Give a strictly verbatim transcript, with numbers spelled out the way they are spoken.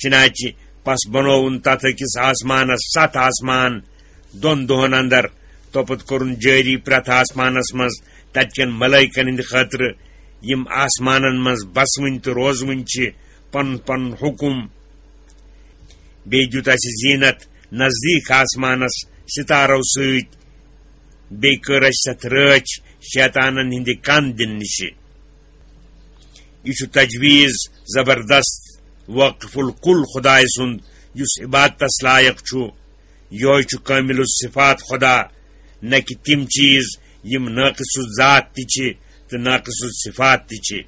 چنانچہ پس بنووُن تتھ أکِس آسمانس ستھ آسمان دۄن دۄہن اندر، توپتہٕ کوٚرُن جٲری پرٛٮ۪تھ آسمانس منٛز تتہِ کٮ۪ن ملائکن ہٕنٛدِ خٲطرٕ، یِم آسمانن منٛز بسوٕنۍ تہٕ روزوٕنۍ چھِ، پنُن پنُن حکم۔ بیٚیہِ دیُت اسہِ زینت نزدیٖک آسمانس ستارو سۭتۍ، بیٚیہِ کٔر اسہِ ستھ رٲچھ شیطانن ہٕنٛدِ کن دِنہٕ نِشہِ۔ یہِ چھُ تجویز زبردست واقف الکل خدائے سُنٛد، یُس عبادتس لائق چھُ۔ یہوے چھُ کامل الصفات خدا، نہ کہ تِم چیز یِم ناقص الذات تہِ چھِ تہٕ ناقص الصفات تہِ چھِ۔